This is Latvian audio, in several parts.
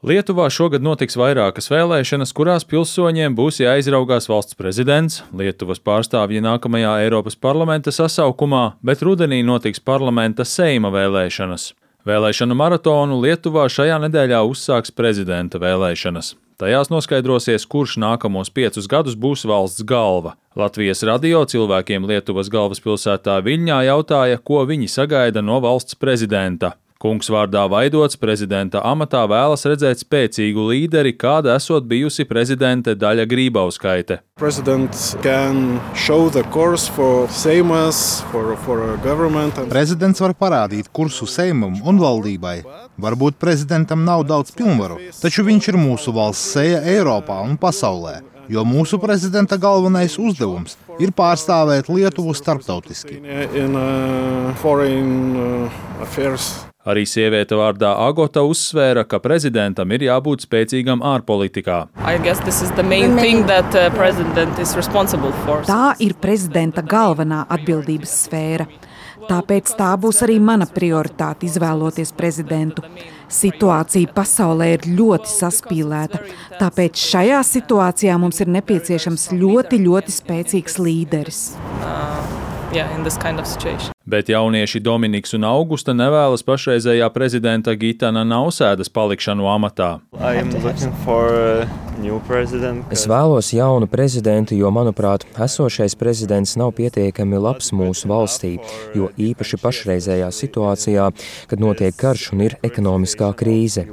Lietuvā šogad notiks vairākas vēlēšanas, kurās pilsoņiem būs jāizraugās valsts prezidents, Lietuvas pārstāvji nākamajā Eiropas parlamenta sasaukumā, bet rudenī notiks parlamenta Seima vēlēšanas. Vēlēšanu maratonu Lietuvā šajā nedēļā uzsāks prezidenta vēlēšanas. Tajās noskaidrosies, kurš nākamos 5 gadus būs valsts galva. Latvijas radio cilvēkiem Lietuvas galvaspilsētā Viļņā jautāja, ko viņi sagaida no valsts prezidenta. Kungs vārdā Vaidots prezidenta amatā vēlas redzēt spēcīgu līderi, kāda esot bijusi prezidente Daļa Grībauskaite. Prezidents var parādīt kursu Seimam un valdībai. Varbūt prezidentam nav daudz pilnvaru, taču viņš ir mūsu valsts seja Eiropā un pasaulē, jo mūsu prezidenta galvenais uzdevums ir pārstāvēt Lietuvu starptautiski. Arī sieviete vārdā Agota uzsvēra, ka prezidentam ir jābūt spēcīgam ārpolitikā. Tā ir prezidenta galvenā atbildības sfēra. Tāpēc tā būs arī mana prioritāte izvēloties prezidentu. Situācija pasaulē ir ļoti saspīlēta, tāpēc šajā situācijā mums ir nepieciešams ļoti spēcīgs līderis. Bet jaunieši Dominiks un Augusta nevēlas pašreizējā prezidenta Gitana Nausēdas palikšanu amatā. Es vēlos jaunu prezidentu, jo, manuprāt, esošais prezidents nav pietiekami labs mūsu valstī, jo īpaši pašreizējā situācijā, kad notiek karš un ir ekonomiskā krīze.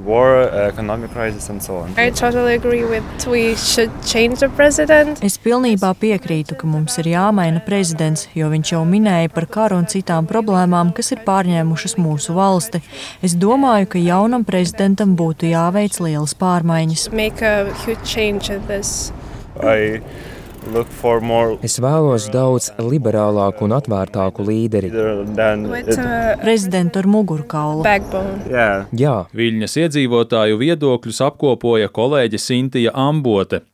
Es pilnībā piekrītu, ka mums ir jāmaina prezidents, jo viņš jau minēja par karu un citām problēmām, kas ir pārņēmušas mūsu valsti. Es domāju, ka jaunam prezidentam būtu jāveic lielas pārmaiņas. Es vēlos daudz liberālāku un atvērtāku līderi. Prezidentu ar mugurkaulu. Jā. Viļņas iedzīvotāju viedokļus apkopoja kolēģe Sintija Ambote.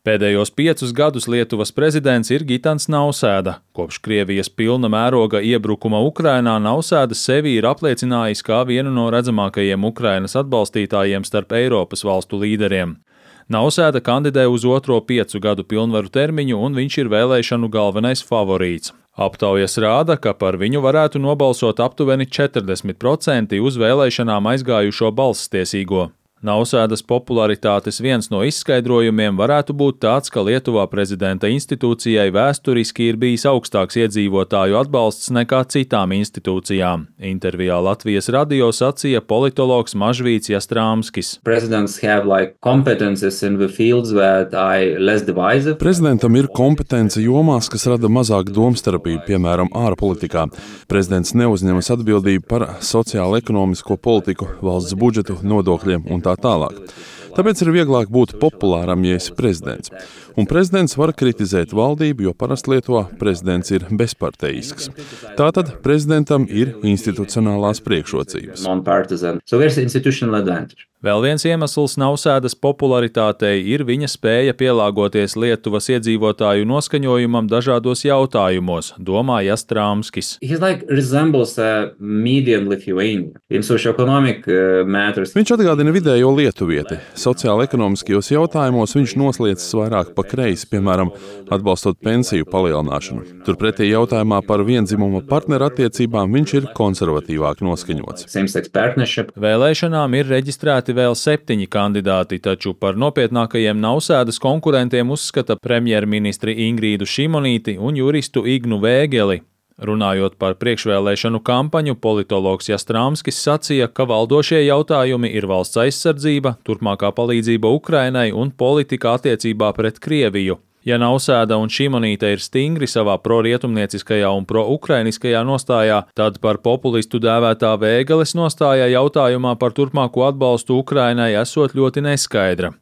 Pēdējos 5 gadus Lietuvas prezidents ir Gitans Nausēda. Kopš Krievijas pilna mēroga iebrukuma Ukrainā Nausēda sevi ir apliecinājis kā vienu no redzamākajiem Ukrainas atbalstītājiem starp Eiropas valstu līderiem. Nausēda kandidē uz otro 5 gadu pilnvaru termiņu, un viņš ir vēlēšanu galvenais favorīts. Aptaujas rāda, ka par viņu varētu nobalsot aptuveni 40% uz vēlēšanām aizgājušo balsstiesīgo. Nausēdas popularitātes viens no izskaidrojumiem varētu būt tāds, ka Lietuvā prezidenta institūcijai vēsturiski ir bijis augstāks iedzīvotāju atbalsts nekā citām institūcijām. Intervijā Latvijas radio sacīja politologs Mažvīts Jastrāmskis. Prezidentam ir kompetence jomās, kas rada mazāk domstarpību, piemēram, ārpolitikā. Prezidents neuzņemas atbildību par sociālo-ekonomisko politiku, valsts budžetu, nodokļiem un tā tālāk. Tāpēc ir vieglāk būt populāram, ja esi prezidents. Un prezidents var kritizēt valdību, jo parasti Lietuvā prezidents ir bezparteisks. Tātad prezidentam ir institucionālās priekšrocības. Vēl viens iemesls Nausēdas popularitātei ir viņa spēja pielāgoties Lietuvas iedzīvotāju noskaņojumam dažādos jautājumos, domā Jastrāmskis. Viņš atgādina vidējo lietuvieti. Sociāli-ekonomiskajos jautājumos viņš nosliecas vairāk pa kreisi, piemēram, atbalstot pensiju palielināšanu. Turpretī jautājumā par vienzimuma partneru attiecībām viņš ir konservatīvāk noskaņots. Vēlēšanām ir reģistrēti vēl 7 kandidāti, taču par nopietnākajiem Nausēdas konkurentiem uzskata premjerministri Ingrīdu Šimonīti un juristu Ignu Vēgeli. Runājot par priekšvēlēšanu kampaņu, politologs Jastrāmskis sacīja, ka valdošie jautājumi ir valsts aizsardzība, turpmākā palīdzība Ukrainai un politika attiecībā pret Krieviju. Ja Nausēda un Šimonīte ir stingri savā pro-rietumnieciskajā un pro-ukrainiskajā nostājā, tad par populistu dēvētā Vēgeles nostājā jautājumā par turpmāko atbalstu Ukrainai esot ļoti neskaidra.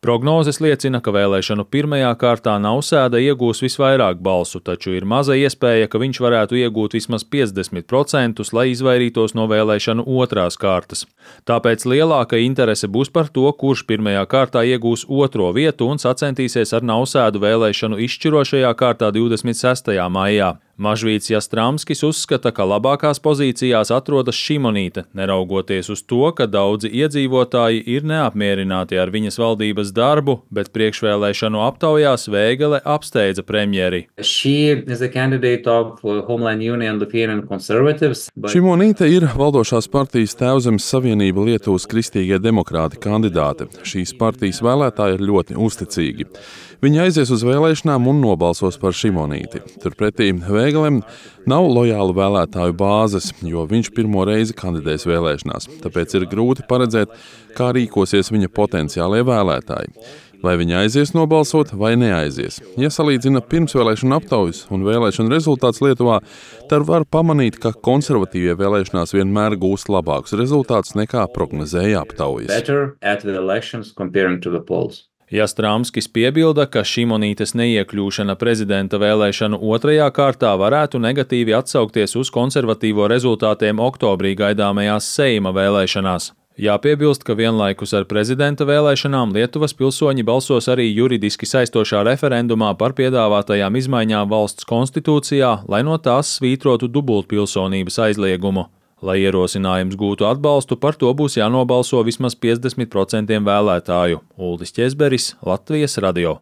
Prognozes liecina, ka vēlēšanu pirmajā kārtā Nausēda iegūs visvairāk balsu, taču ir maza iespēja, ka viņš varētu iegūt vismaz 50%, lai izvairītos no vēlēšanu otrās kārtas. Tāpēc lielāka interese būs par to, kurš pirmajā kārtā iegūs otro vietu un sacentīsies ar Nausēdu vēlēšanu izšķirošajā kārtā 26. maijā. Mažvīts Jastramskis uzskata, ka labākās pozīcijās atrodas Šimonīte, neraugoties uz to, ka daudzi iedzīvotāji ir neapmierināti ar viņas valdības darbu, bet priekšvēlēšanu aptaujās Vēgele apsteidza premjeri. Šimonīte ir valdošās partijas Tēvzemes Savienība Lietuvas kristīgie demokrāti kandidāte. Šīs partijas vēlētāji ir ļoti uzticīgi. Viņi aizies uz vēlēšanām un nobalsos par Šimonīti. Turpretī Vēgelem nav lojāla vēlētāju bāzes, jo viņš pirmo reizi kandidēs vēlēšanās. Tāpēc ir grūti paredzēt, kā rīkosies viņa potenciālie vēlētāji. Vai viņi aizies nobalsot vai neaizies. Ja salīdzina pirmsvēlēšanu aptaujas un vēlēšanu rezultātus Lietuvā, tad var pamanīt, ka konservatīvie vēlēšanās vienmēr gūst labākus rezultātus nekā prognozēja aptaujas. Jastramskis piebilda, ka Šimonītes neiekļūšana prezidenta vēlēšanu otrajā kārtā varētu negatīvi atsaukties uz konservatīvo rezultātiem oktobrī gaidāmajās Seima vēlēšanās. Jāpiebilst, ka vienlaikus ar prezidenta vēlēšanām Lietuvas pilsoņi balsos arī juridiski saistošā referendumā par piedāvātajām izmaiņām valsts konstitūcijā, lai no tās svītrotu dubultpilsonības aizliegumu. Lai ierosinājums gūtu atbalstu, par to būs jānobalso vismaz 50% vēlētāju. Uldis Ķezberis, Latvijas radio.